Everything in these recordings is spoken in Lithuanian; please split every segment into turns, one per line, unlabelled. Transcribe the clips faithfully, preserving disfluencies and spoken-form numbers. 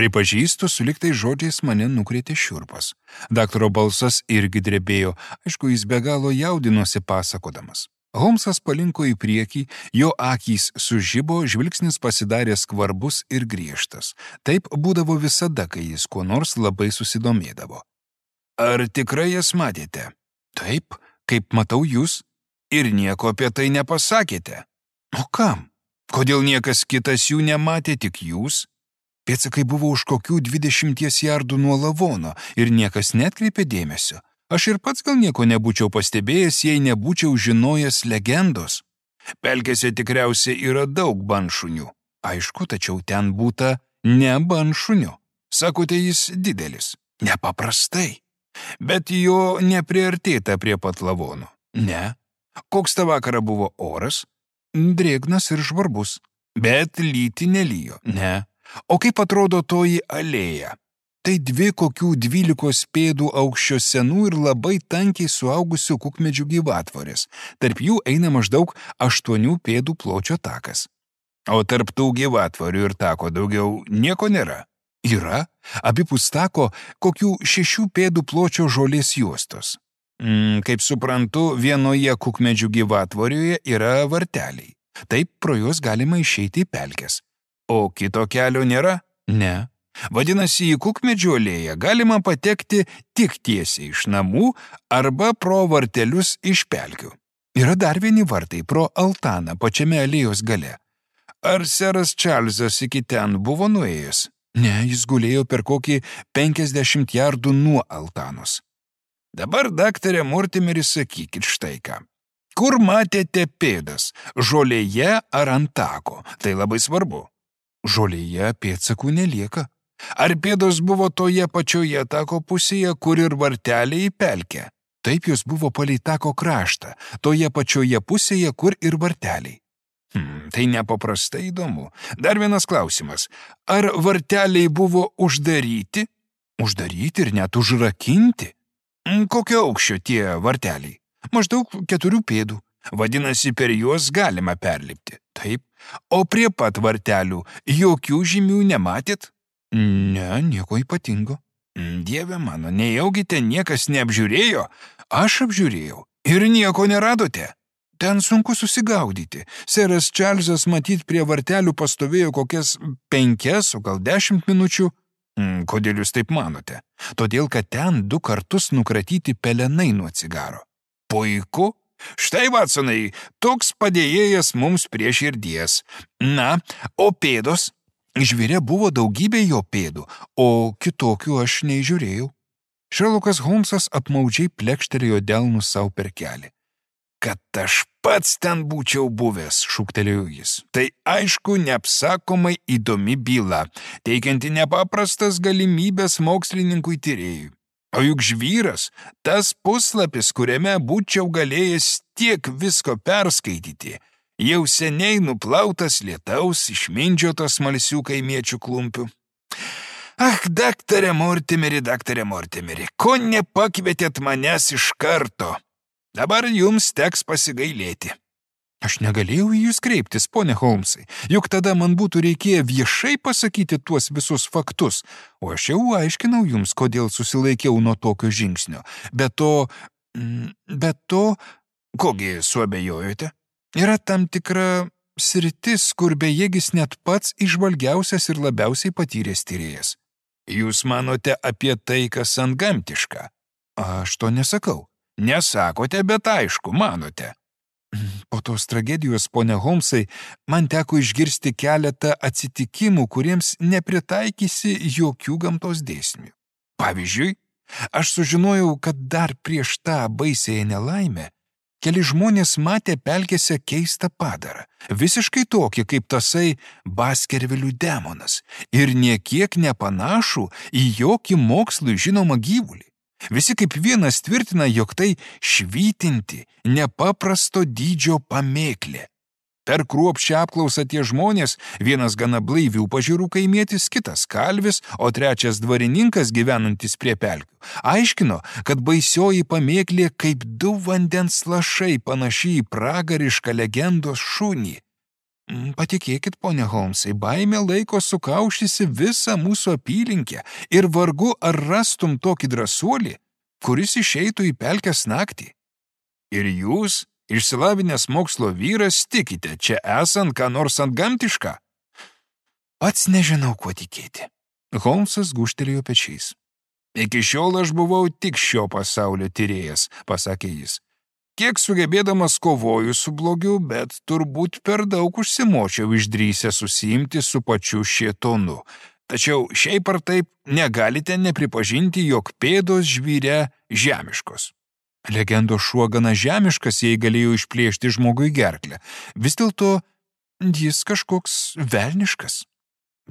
Pripažįstu, suliktai žodžiais mane nukrėtė šiurpas. Daktaro balsas irgi drebėjo, aišku, jis be galo jaudinosi pasakodamas. Holmsas palinko į priekį, jo akys sužibo, žvilgsnis pasidarė skvarbus ir griežtas. Taip būdavo visada, kai jis kuo nors labai susidomėdavo. Ar tikrai jas matėte? Taip, kaip matau jūs. Ir nieko apie tai nepasakėte. O kam? Kodėl niekas kitas jų nematė, tik jūs? Pėdsakai buvo už kokių dvidešimties jardų nuo lavono ir niekas netkreipė dėmesio. Aš ir pats gal nieko nebūčiau pastebėjęs, jei nebūčiau žinojęs legendos. Pelkėse tikriausiai yra daug banšunių. Aišku, tačiau ten būta ne banšunių. Sakote, jis didelis. Nepaprastai. Bet jo nepriartėta prie pat lavono. Ne. Koks tą vakarą buvo oras? Drėgnas ir žvarbus. Bet lyti nelijo. Ne. O kaip atrodo toji alėja? Tai dvi kokių dvylikos pėdų aukščio senų ir labai tankiai suaugusių kukmedžių gyvatvorės. Tarp jų eina maždaug aštuonių pėdų pločio takas. O tarp tų gyvatvorių ir tako daugiau nieko nėra. Yra, abipus tako, kokių šešių pėdų pločio žolės juostos. Mm, kaip suprantu, vienoje kukmedžių gyvatvorioje yra varteliai. Taip pro juos galima išeiti į pelkes. O kito kelio nėra? Ne. Vadinasi, į kukmedžių alėją galima patekti tik tiesiai iš namų arba pro vartelius iš pelkių. Yra dar vieni vartai pro altaną pačiame alėjos gale. Ar seras Čarlzas iki ten buvo nuėjęs? Ne, jis gulėjo per kokį penkiasdešimt jardų nuo altanos. Dabar, daktarė Mortimeri, sakykit štai ką. Kur matėte pėdas? Žolėje ar ant tako? Tai labai svarbu. Žolėje pėdsakų nelieka. Ar pėdos buvo toje pačioje tako pusėje, kur ir varteliai į pelkę? Taip, jos buvo palei tako kraštą, toje pačioje pusėje, kur ir varteliai. Hmm, tai nepaprastai įdomu. Dar vienas klausimas. Ar varteliai buvo uždaryti? Uždaryti ir net užrakinti? Kokio aukščio tie varteliai? Maždaug keturių pėdų. Vadinasi, per juos galima perlipti. Taip. O prie pat vartelių jokių žymių nematėt? Ne, nieko ypatingo. Dieve mano, nejaugi ten niekas neapžiūrėjo? Aš apžiūrėjau ir nieko neradote. Ten sunku susigaudyti. Seras Čarlzas matyt prie vartelių pastovėjo kokias penkias, o gal dešimt minučių. Kodėl jūs taip manote? Todėl, kad ten du kartus nukratyti pelenai nuo cigaro. Puiku. Štai, Vatsonai, toks padėjėjas mums prie širdies. Na, o pėdos? Žvėre buvo daugybė jo pėdų, o kitokių aš neįžiūrėjau. Šerlokas Holmsas apmaudžiai plekštelėjo delnus savo per kelį. Kad aš pats ten būčiau buvęs, šūktelėjo jis. Tai aišku, neapsakomai įdomi byla, teikianti nepaprastas galimybės mokslininkui tyrėjui. O juk žvyras, tas puslapis, kuriame būčiau galėjęs tiek visko perskaityti, jau seniai nuplautas lietaus išmindžiotos smalsių kaimiečių klumpių. Ach, daktarė Mortimeri, daktarė Mortimeri, ko nepakvietėt manęs iš karto? Dabar jums teks pasigailėti. Aš negalėjau į jūs kreiptis, pone Holmsai, juk tada man būtų reikėję viešai pasakyti tuos visus faktus, o aš jau aiškinau jums, kodėl susilaikiau nuo tokio žingsnio. Be to, be to, kogi suabejojote? Yra tam tikra sritis, kur bejėgis net pats išvalgiausias ir labiausiai patyręs tyrėjas. Jūs manote apie tai, kas antgamtiška? Aš to nesakau. Nesakote, bet aišku, manote. Po tos tragedijos, pone Holmsai, man teko išgirsti keletą atsitikimų, kuriems nepritaikysi jokių gamtos dėsnių. Pavyzdžiui, aš sužinojau, kad dar prieš tą baisiąją nelaimę keli žmonės matė pelkėse keistą padarą, visiškai tokį kaip tasai Baskervilių demonas ir niekiek nepanašų į jokį mokslui žinomą gyvulį. Visi kaip vienas tvirtina, jog tai švytinti, nepaprasto dydžio pamėklė. Per kruopščią apklausą tie žmonės, vienas gana blaivių pažiūrų kaimietis, kitas kalvis, o trečias dvarininkas gyvenantis prie pelkių, aiškino, kad baisioji pamėklė kaip du vandens lašai panaši į pragarišką legendos šunį. Patikėkit, ponia Holmsai, baimė laiko sukaušysi visą mūsų apylinkę ir vargu ar rastum tokį drąsuolį, kuris išeitų į pelkės naktį. Ir jūs, išsilavinęs mokslo vyras, tikite čia esant ką nors antgamtišką? Pats nežinau, kuo tikėti. Holmsas gūžtelėjo pečiais. Iki šiol aš buvau tik šio pasaulio tyrėjas, pasakė jis. Kiek sugebėdamas kovoju su blogiu, bet turbūt per daug užsimočiau išdrįsę susiimti su pačiu šėtonu. Tačiau šiaip ar taip negalite nepripažinti, jog pėdos žvyre žemiškos. Legendos šuo gana žemiškas, jei galėjo išplėšti žmogui gerklę. Vis dėlto jis kažkoks velniškas.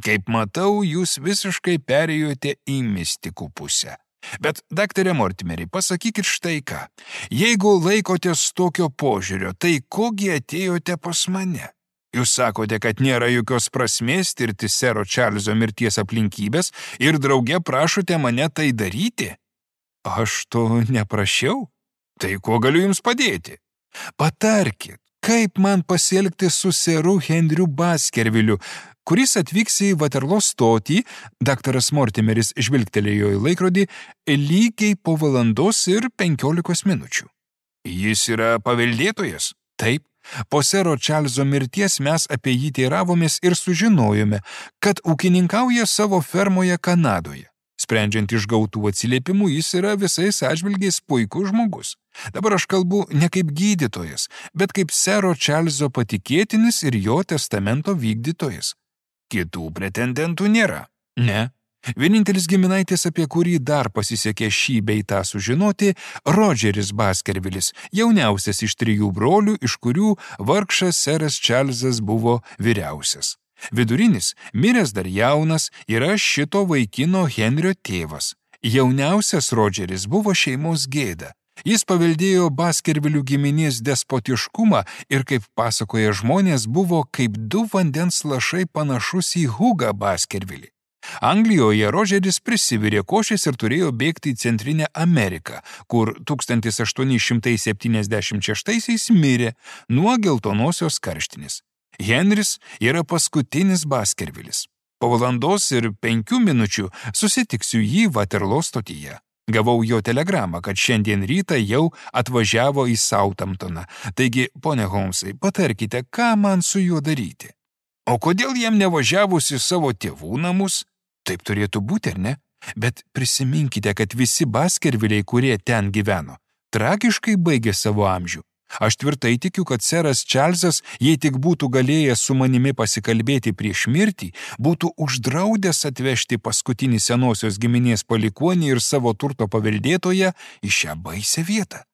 Kaip matau, jūs visiškai perėjote į mistikų pusę. Bet, daktare Mortimeri, pasakykit štai ką. Jeigu laikotės tokio požiūrio, tai kogi atėjote pas mane? Jūs sakote, kad nėra jokios prasmės tirti sero Čarlzo mirties aplinkybės ir drauge prašote mane tai daryti? Aš to neprašiau. Tai kuo galiu jums padėti? Patarkit, kaip man pasielgti su seru Henriu Baskerviliu, kuris atvyks į Vaterlo stotį, daktaras Mortimeris žvilgtelėjo į laikrodį, lygiai po valandos ir penkiolikos minučių. Jis yra paveldėtojas? Taip. Po sero Čarlzo mirties mes apie jį teiravomės ir sužinojome, kad ūkininkauja savo fermoje Kanadoje. Sprendžiant iš gautų atsiliepimų, jis yra visais atžvilgiais puikus žmogus. Dabar aš kalbu ne kaip gydytojas, bet kaip sero Čarlzo patikėtinis ir jo testamento vykdytojas. Kitų pretendentų nėra. Ne. Vienintelis giminaitis, apie kurį dar pasisekė šį bei tą sužinoti, Rodžeris Baskervilis, jauniausias iš trijų brolių, iš kurių vargšas seras Čarlzas buvo vyriausias. Vidurinis, miręs dar jaunas, yra šito vaikino Henrio tėvas. Jauniausias Rodžeris buvo šeimos gėda. Jis paveldėjo Baskervilių giminės despotiškumą ir, kaip pasakoja žmonės, buvo kaip du vandens lašai panašus į Hugą Baskervilį. Anglijoje Rodžeris prisivirė košės ir turėjo bėgti į Centrinę Ameriką, kur tūkstantis aštuoni šimtai septyniasdešimt šeštaisiais mirė nuo geltonosios karštinės. Henris yra paskutinis Baskervilis. Po valandos ir penkių minučių susitiksiu jį Vaterlo stotyje. Gavau jo telegramą, kad šiandien rytą jau atvažiavo į Southamptoną. Taigi, pone Holmsai, patarkite, ką man su juo daryti. O kodėl jam nevažiavus į savo tėvų namus? Taip turėtų būti, ar ne? Bet prisiminkite, kad visi Baskerviliai, kurie ten gyveno, tragiškai baigė savo amžių. Aš tvirtai tikiu, kad seras Čarlzas, jei tik būtų galėjęs su manimi pasikalbėti prieš mirtį, būtų uždraudęs atvežti paskutinį senosios giminės palikuonį ir savo turto paveldėtoją į šią baisią vietą.